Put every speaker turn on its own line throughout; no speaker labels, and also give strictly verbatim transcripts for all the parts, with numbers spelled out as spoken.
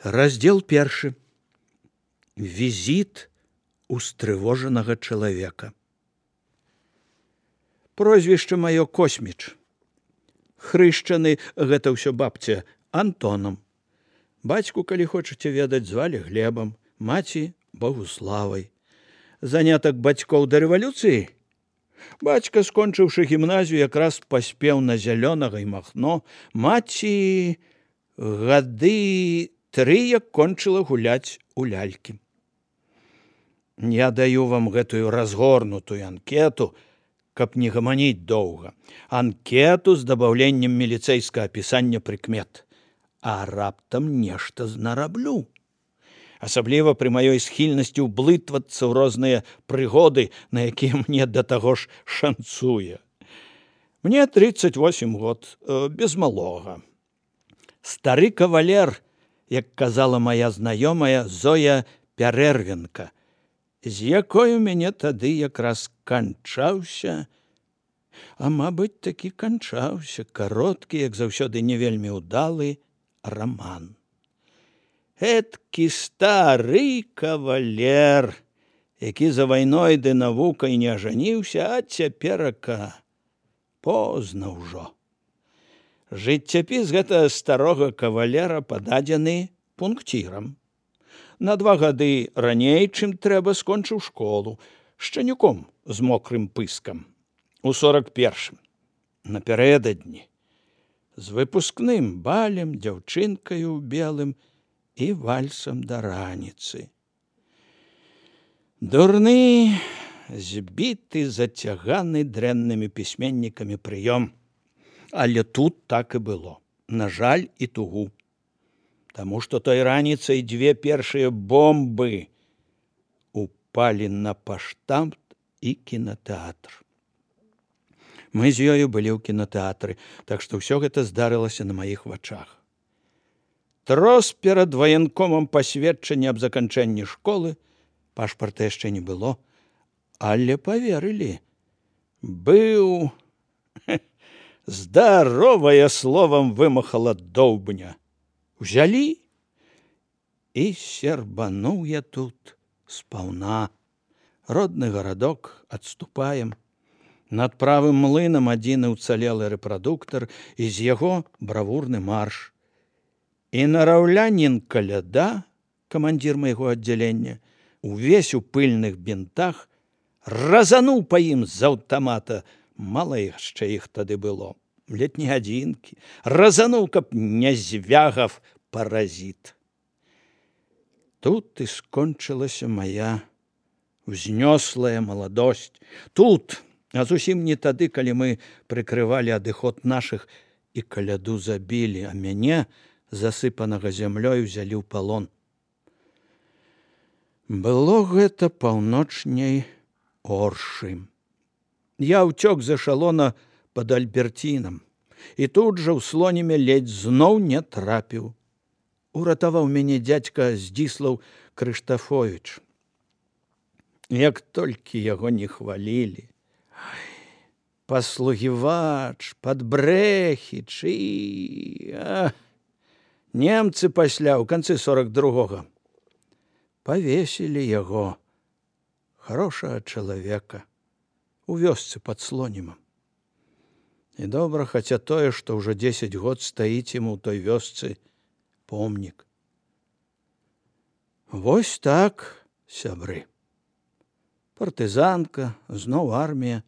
Раздел першы. Візіт устрывожанага чалавека. Прозвішча маё Косміч. Хрышчаны, гэта ўсё бабця, Антонам. Бацьку, калі хочаце ведаць, звалі Глебам, маці Богуславай. Занятак бацькоў да рэвалюцыі? Бацька, скончыўшы гімназію, якраз паспеў на Зялёнага і Махно. Маці гады тры як кончыла гуляць у лялькі. Я даю вам гэтую разгорнутую анкету, каб не гаманіць доўга. Анкету з дабаўленнем міліцэйскага апісання прыкмет. А раптам нешта знараблю. Асабліва пры маёй схільнасці ўблытвацца ў розныя прыгоды, на якія мне да таго ж шанцуе. Мне тридцать восемь год, без малога. Стары кавалер, як казала моя знаёмая Зоя Пярэрвенка, з якой у мяне тады якраз канчаўся, а, мабыць, такі канчаўся кароткі, як заўсёды не вельмі ўдалы раман. Эткі стары кавалер, які за вайной ды навукай не ажаніўся, а цяперака позна ўжо. Жыццяпіс гэтага старога кавалера пададзены пункцірам. На два гады раней, чым трэба, скончыў школу, шчанюком з мокрым пыскам. У сорак першым, напярэдадні, з выпускным балем, дзяўчынкаю ў белым і вальсам да раніцы. Дурны, збіты, зацяганы дрэннымі пісьменнікамі прыём. Але тут так і было, на жаль і тугу. Таму што той раніцай дзве першыя бомбы упалі на паштамт і кінатэатр. Мы з ёю былі ў кінатэатры, так што ўсё гэта здарылася на маіх вачах. Трос перад ваенкомам пасведчання аб заканчэнні школы, пашпарта яшчэ не было, але паверылі. Быў... Здаровае словам вымахала доўбня. Узялі і сербануў я тут спаўна. Родны гарадок, адступаем. Над правым млынам адзіны ўцалелы рэпрадуктар, і з яго бравурны марш. І нараўлянін каляда, камандзір майго аддзялення, увесь у пыльных бінтах, разануў па ім з аўтамата. Мала яшчэ іх тады было, ледь не адзінкі. Разануў, каб не звягав паразіт. Тут і скончылася мая узнёслая маладосць. Тут, а зусім не тады, калі мы прыкрывалі адыход нашых і каляду забілі, а мяне, засыпанага зямлёй, узялі ў палон. Было гэта паўночней Оршы. Я ўцёк з эшалона пад Альберцінам, і тут жа ў Слонімі ледзь зноў не трапіў. Уратаваў мяне дзядзька Здзіслаў Крыштафовіч. Як толькі яго не хвалілі. Паслугівач, падбрэхіч і... А... Немцы пасля, у канцы сорак другога, павесілі яго, хорошага чалавека, у вёсцы пад Слонімам. І добра, хаця тое, што ўжо дзесяць год стаіць ім у той вёсцы помнік. Вось так, сябры. Партызанка, зноў армія,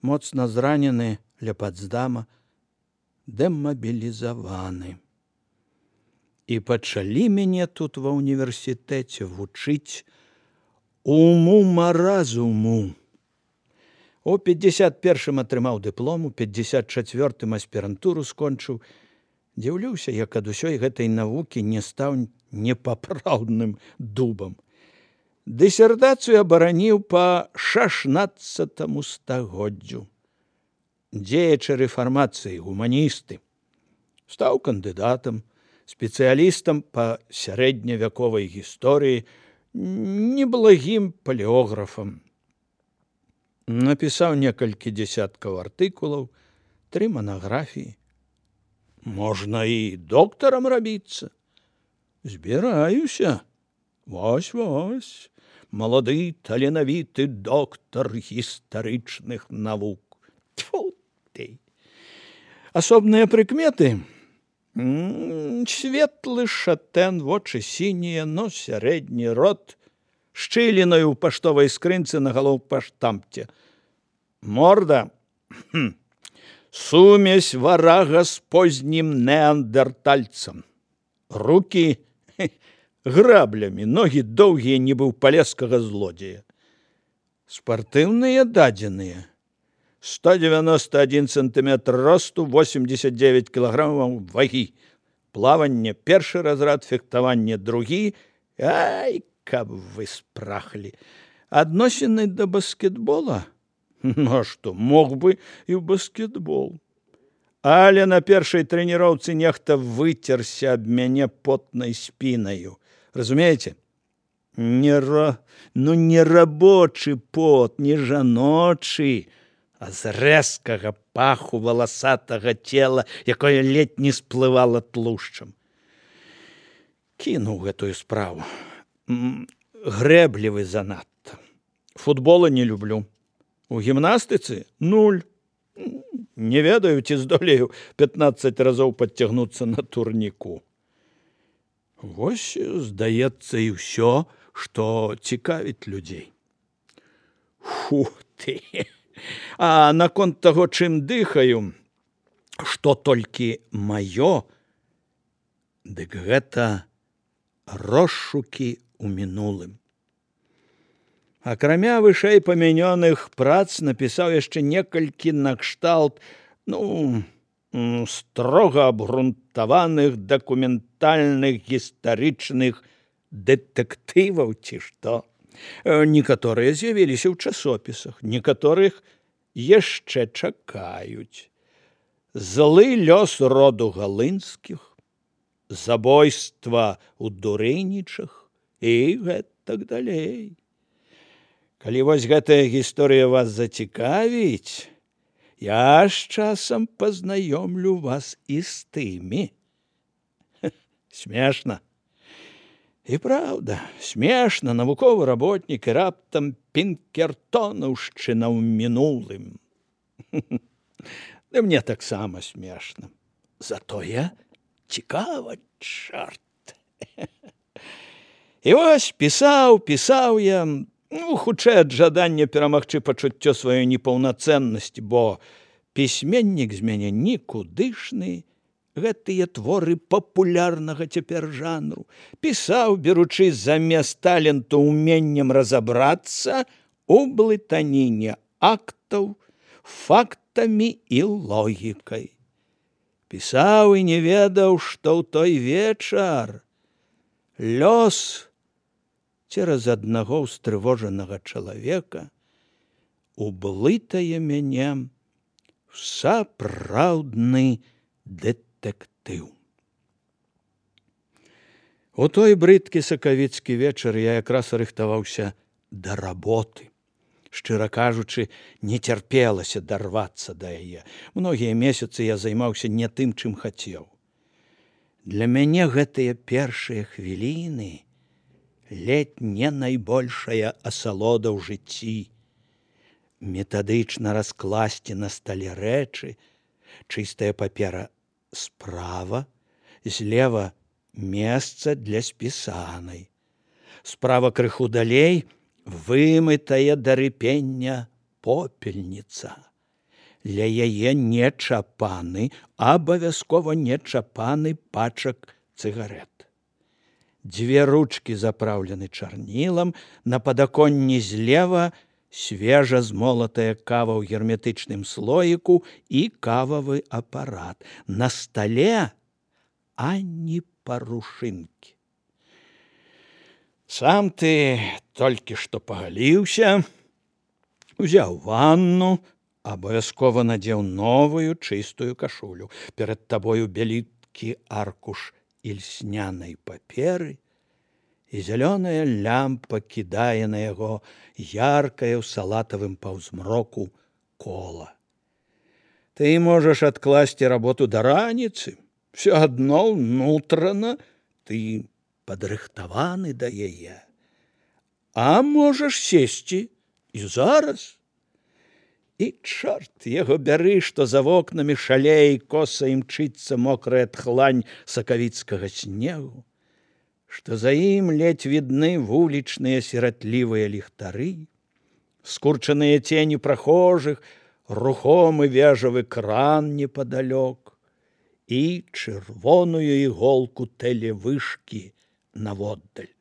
моцна зранены ля Пацдама, дэмабілізаваны. І пачалі мяне тут ва ўніверсітэце вучыць уму-маразуму. У пятьдесят першым атрымаў дыплом, у пятьдесят чацвёртым аспірантуру скончыў. Дзіўлюся, як ад усёй гэтай навукі не стаў непапраўдным дубам. Дысертацыю абараніў па шашнаццатаму стагоддзю. Дзеячы рэфармацыі, гуманісты. Стаў кандыдатам, спецыялістам па сярэдневяковай гісторыі, неблагім палеографам. Напісаў некалькі дзесяткаў артыкулаў, тры манаграфіі. Можна і доктарам рабіцца. Збіраюся. Вось-вось. Малады таленавіты доктар гістарычных навук. Тьфу ты. Асобныя прыкметы. Светлы шатэн, вочы сінія, нос сярэдні, рот шчылінаю ў паштовай скрынцы на галоўпаштамце. Морда. Хм. Сумесь варага з познім неандертальцам. Рукі граблямі, ногі доўгія, нібы ў палескага злодзея. Спартыўныя дадзеныя. сто девяносто один сантиметр росту, восемьдесят девять килограммов ваги. Плаванне першы разрад, фехтаванне другі. Ай, каб вы спрахлі. Адносіны да баскетбола? Ну, а што, мог бы і ў баскетбол. Але на першай трэніроўцы нехта выцерся аб мяне потнай спінаю. Разумееце? Не ра... Ну, не рабочы пот, не жаночы, а з рэзкага паху валасатага цела, якое ледзь не сплывала тлушчам. Кінуў гэтую справу. Грэблівы занадта. Футбола не люблю. У гімнастыцы нуль. Не ведаю, ці здолею пятнаццаць разоў падцягнуцца на турніку. Вось, здаецца, і ўсё, што цікавіць людзей. Фу ты! А наконт таго, чым дыхаю, што толькі маё, дык гэта розшукі ў мінулым. Акрамя вышэй памянёных прац напісаў яшчэ некалькі накшталт, ну, строга абгрунтаваных дакументальных гістарычных дэтэктываў ці што. Некаторыя з'явіліся ў часопісах, некаторых яшчэ чакаюць. Злы лёс роду галынскіх, забойства ў Дурынічах і гэтак далей. Калі вось гэтая гісторыя вас зацікавіць, я з часам пазнаёмлю вас і з тымі. Смешна. І праўда, смешна, навуковы работнік і раптам пінкертонаўшчына ў мінулым. Ды мне таксама смешна. Затое цікава, чорт. І вось пісаў, пісаў я, ну, хутчэй ад жадання перамагчы пачуццё сваёй непаўнацэннасці, бо пісьменнік з мяне нікудышны, гэтыя творы папулярнага цяпер жанру. Пісаў, беручы замест таленту ўменнем разабрацца у блытаніне актаў, фактамі і логікай. Пісаў і не ведаў, што ў той вечар лёс цераз аднаго ўстрывожанага чалавека ублытае мяне ў сапраўдны дэтэктыў. У той брыдкі сакавіцкі вечар я якраз рыхтаваўся да работы. Шчыра кажучы, не цярпелася дарвацца да яе. Многія месяцы я займаўся не тым, чым хацеў. Для мяне гэтыя першыя хвіліны ледзь не найбольшая асалода ў жыцці. Метадычна раскласці на стале рэчы, чыстая папера справа, злева месца для спісанай. Справа крыху далей вымытая да рыпення попельніца. Ля яе не чапаны, абавязкова не чапаны пачак цыгарэт. Дзве ручкі запраўлены чарнілам, на падаконні злева свежа змолатая кава ў герметычным слоіку і кававы апарат. На стале ані парушынкі. Сам ты толькі што пагаліўся, узяў ванну, абавязкова надзеў новую чыстую кашулю. Перад табою бяліткі аркуш ільснянай паперы, і зялёная лямпа кідае на яго яркае ў салатавым паўзмроку кола. Ты можаш адкласці работу да раніцы, все адно ўнутрана ты падрыхтаваны да яе. А можаш сесці і зараз. І чорт яго бяры, што за вокнамі шалей коса імчыцца мокрая тхлань сакавіцкага снегу, што за ім ледзь відны вулічныя сіратлівыя ліхтары, скурчаныя цені прахожых, рухомы вежавы кран непадалёк і чырвоную іголку тэлевышкі наводдаль.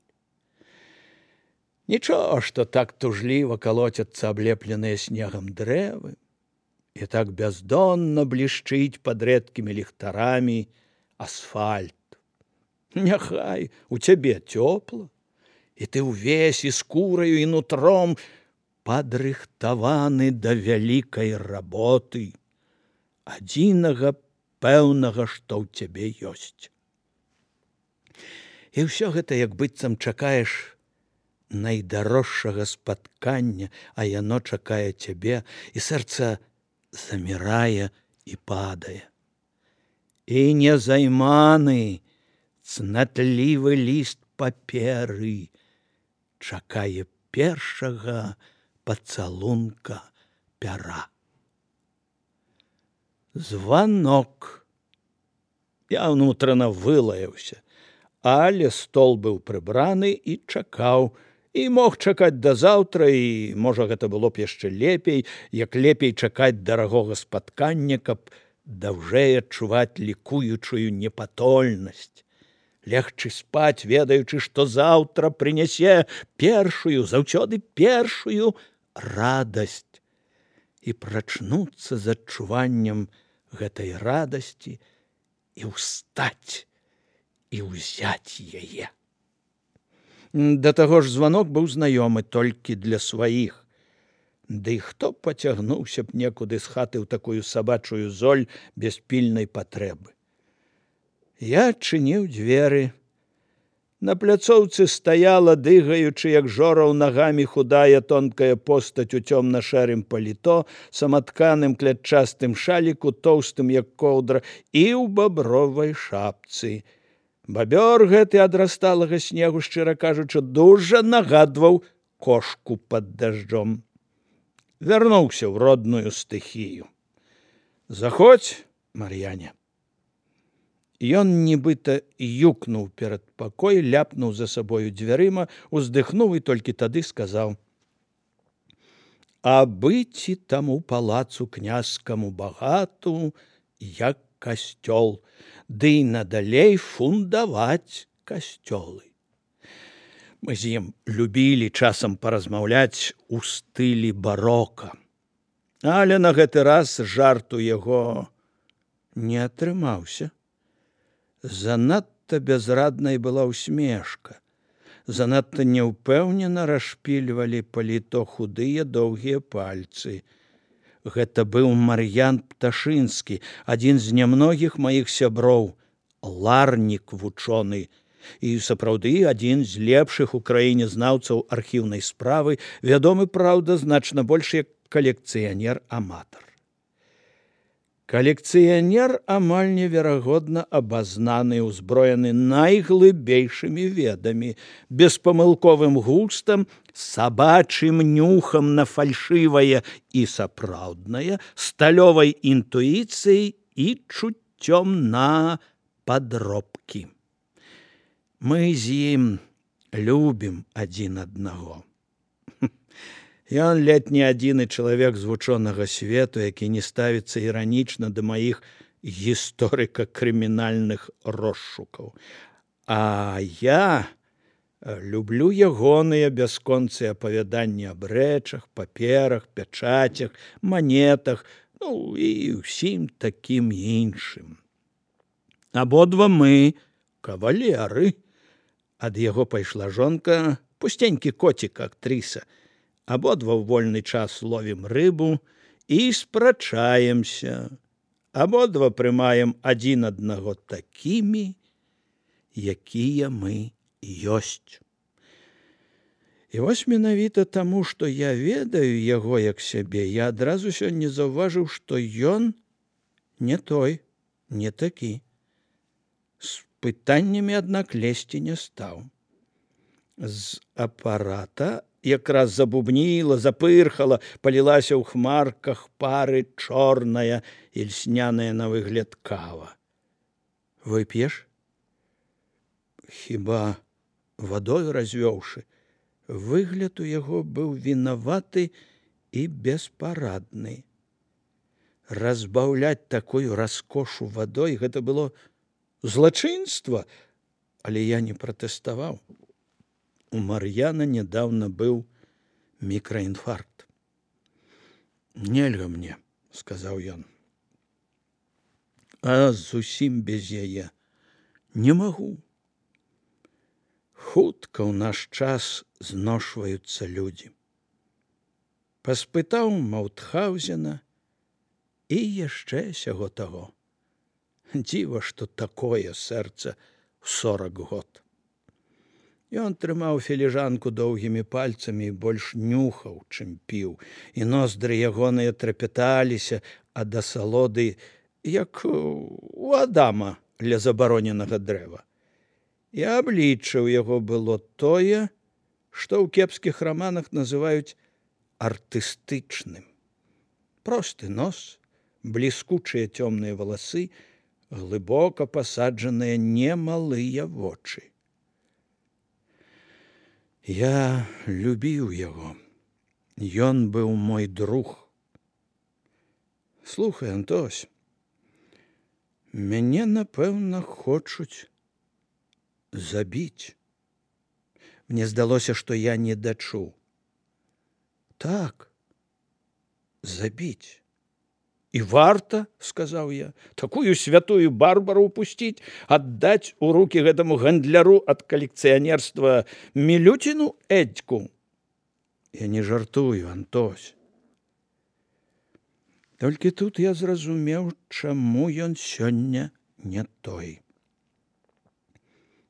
Нічого, што так тужліва калоцяцца аблепленыя снегам дрэвы, і так бяздонна блішчыць пад рэдкімі ліхтарамі асфальт. Няхай у цябе цёпла, і ты ўвесь і скураю, і нутром падрыхтаваны да вялікай работы, адзінага пэўнага, што ў цябе ёсць. І ўсё гэта, як быццам чакаеш найдарожшага спаткання, а яно чакае цябе, і сэрца замірае і падае. І незайманы цнатлівы ліст паперы чакае першага пацалунка пяра. Званок. Я ўнутрана вылаяўся, але стол быў прыбраны і чакаў, і мог чакаць да заўтра, і, можа, гэта было б яшчэ лепей, як лепей чакаць дарагога спаткання, каб даўжэй адчуваць лікуючую непатольнасць, легчы спаць, ведаючы, што заўтра прынясе першую, заўсёды першую радасць, і прачнуцца з адчуваннем гэтай радасці і ўстаць і ўзяць яе. Да таго ж званок быў знаёмы толькі для сваіх. Ды хто пацягнуўся б некуды з хаты ў такую сабачую золь без пільнай патрэбы. Я адчыніў дзверы. На пляцоўцы стаяла, дыгаючы, як жораў нагамі, худая тонкая постаць у цёмна-шэрым паліто, саматканым клятчастым шаліку, тоўстым, як коўдра, і ў бабровай шапцы. Бабёр гэты ад расталага снегу, шчыра кажучы, дужа нагадваў кошку пад дажджом. Вярнуўся ў родную стыхію. Заходзь, Мар'яне. Ён нібыта юкнуў перад пакой, ляпнуў за сабою дзвярыма, уздыхнуў і толькі тады сказаў: а быці таму палацу князькаму багату, як касцёл, ды і надалей фундаваць касцёлы. Мы з ім любілі часам паразмаўляць у стылі барока. Але на гэты раз жарт у яго не атрымаўся. Занадта бязраднай была ўсмешка. Занадта няўпэўнена расшпільвалі паліто худыя доўгія пальцы. Гэта быў Мар'ян Пташынскі, адзін з нямногіх маіх сяброў, ларнік вучоны, і сапраўды адзін з лепшых у краіне знаўцаў архіўнай справы, вядомы, праўда, значна больш як калекцыянер-аматар. Калекцыянер амаль неверагодна абазнаны, узброены найглыбейшымі ведамі, беспамылковым густам, сабачым нюхам на фальшывае і сапраўднае, сталёвай інтуіцыяй і чуццём на падробкі. Мы з ім любім адзін аднаго. Ён ледзь не адзіны чалавек з вучонага свету, які не ставіцца іранічна да маіх гісторыка-крымінальных розшукаў. А я люблю ягоныя бясконцыя апавяданні аб рэчах, паперах, пячацях, манетах, ну і ўсім такім іншым. Абодва мы кавалеры. Ад яго пайшла жонка, пустенькі коцік, актрыса. Абодва ў вольны час ловім рыбу і спрачаемся. Абодва прымаем адзін аднаго такімі, якія мы ёсць. І вось менавіта таму, што я ведаю яго як сябе, я адразу сёння заўважыў, што ён не той, не такі. пытаннямі, аднак, лезці не стаў. З апарата якраз забубніла, запырхала, палілася ў хмарках пары чорная і льсняная на выгляд кава. Вып'еш? Хіба вадою развёўшы? Выгляд у яго быў вінаваты і беспарадны. Разбаўляць такую раскошу вадой — гэта было злачынства, але я не пратэставаў. У Мар'яна нядаўна быў мікраінфаркт. «Нельга мне», — сказаў ён. «А зусім без яе не магу. Хутка ў наш час зношваюцца людзі». Паспытаў Маутхаўзена і яшчэ сяго таго. Дзіва, што такое сэрца ў сорак год. Ён трымаў філіжанку доўгімі пальцамі і больш нюхаў, чым піў, і ноздры ягоныя трапяталіся ад асалоды, як у Адама ля забароненага дрэва. І аблічча ў яго было тое, што ў кепскіх раманах называюць артыстычным. Просты нос, бліскучыя цёмныя валасы, глыбока пасаджаныя немалыя вочы. Я любіў яго. Ён быў мой друг. Слухай, Антось, мяне, напэўна, хочуць забіць. Мне здалося, што я не дачуў. Так, забіць. «І варта, — сказаў я, — такую святую Барбару упусціць, аддаць у рукі гэтаму гандляру ад калекцыянерства Мілюціну Эдзьку». Я не жартую, Антось. Толькі тут я зразумеў, чаму ён сёння не той.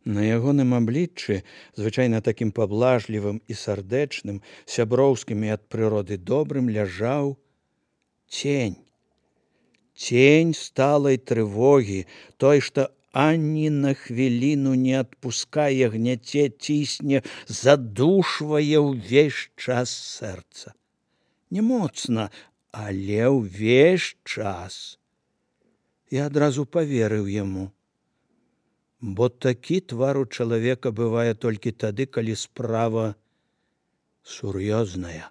На ягоным абліччы, звычайна такім паблажлівым і сардэчным, сяброўскім і ад прыроды добрым, ляжаў цень. Цень сталай трывогі, той, што ані на хвіліну не адпускае, гняце, цісне, задушвае ўвесь час сэрца. Не моцна, але ўвесь час. Я адразу паверыў яму. Бо такі твар у чалавека бывае толькі тады, калі справа сур'ёзная.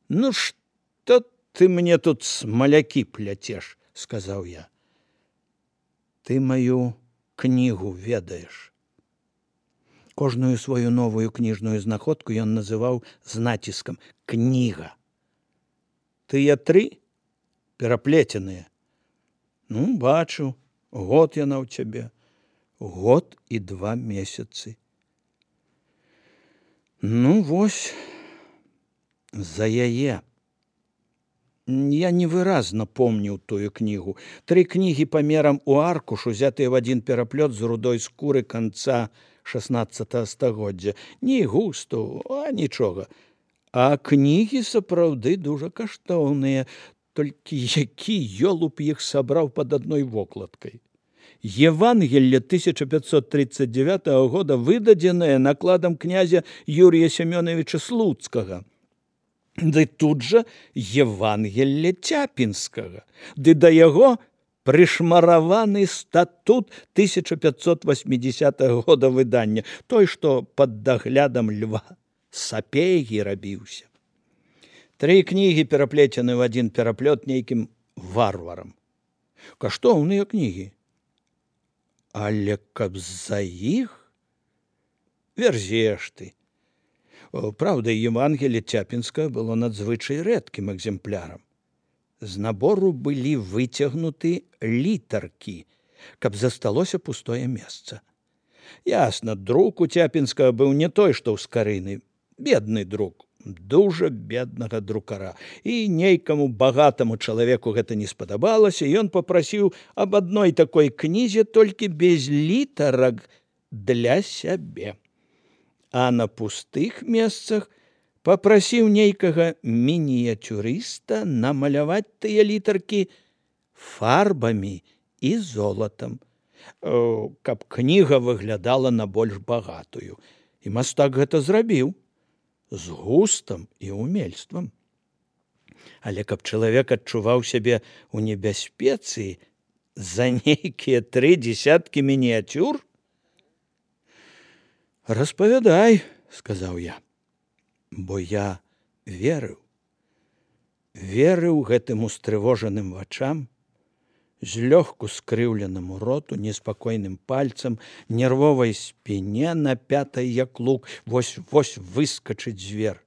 «Ну што ты мне тут смалякі пляцеш?» — сказаў я. «Ты маю кнігу ведаеш». Кожную сваю новую кніжную знаходку ён называў з націскам «кніга». «Тыя тры пераплеценыя?» «Ну, бачу, год яна ў цябе». «Год і два месяцы». «Ну, вось, за яе». Я невыразна помніў тую кнігу. Тры кнігі памерам у аркуш, узятыя ў адзін пераплёт з рудой скуры канца шаснаццатага стагоддзя. Ні густу, а нічога. А кнігі сапраўды дужа каштоўныя, толькі які ёлуб іх сабраў пад адной вокладкай. Евангелле тысяча пятьсот тридцать девятого года выдадзенае накладам князя Юрія Семёновича Слуцкага. Ды тут жа Евангелле Цяпінскага. Ды да яго прышмараваны статут тысяча пятьсот восьмидесятого года выдання, той, што пад даглядам Льва Сапегі рабіўся. Тры кнігі пераплецены ў адзін пераплёт нейкім варварам. Каштоўныя кнігі. Але каб за іх? Верзеш ты. Праўда, Евангелле Цяпінскага было надзвычай рэдкім экземплярам. З набору былі выцягнуты літаркі, каб засталося пустое месца. Ясна, друк у Цяпінскага быў не той, што ў скарыны. Бедны друк, дужа беднага друкара. І нейкаму багатаму чалавеку гэта не спадабалася, і ён папрасіў аб адной такой кнізе, толькі без літарак для сябе. А на пустых месцах папрасіў нейкага мініяцюрыста намаляваць тыя літаркі фарбамі і золатам. каб кніга выглядала на больш багатую. І мастак гэта зрабіў з густам і умельствам. Але каб чалавек адчуваў сябе ў небяспецы за нейкія тры дзесяткі мініяцюр? Распавядай, сказаў я, бо я верыў. Верыў гэтым устрывожаным вачам, злёгку скрыўленаму роту, неспакойным пальцам, нервовай спіне, напятай як лук, вось-вось выскачыць звер.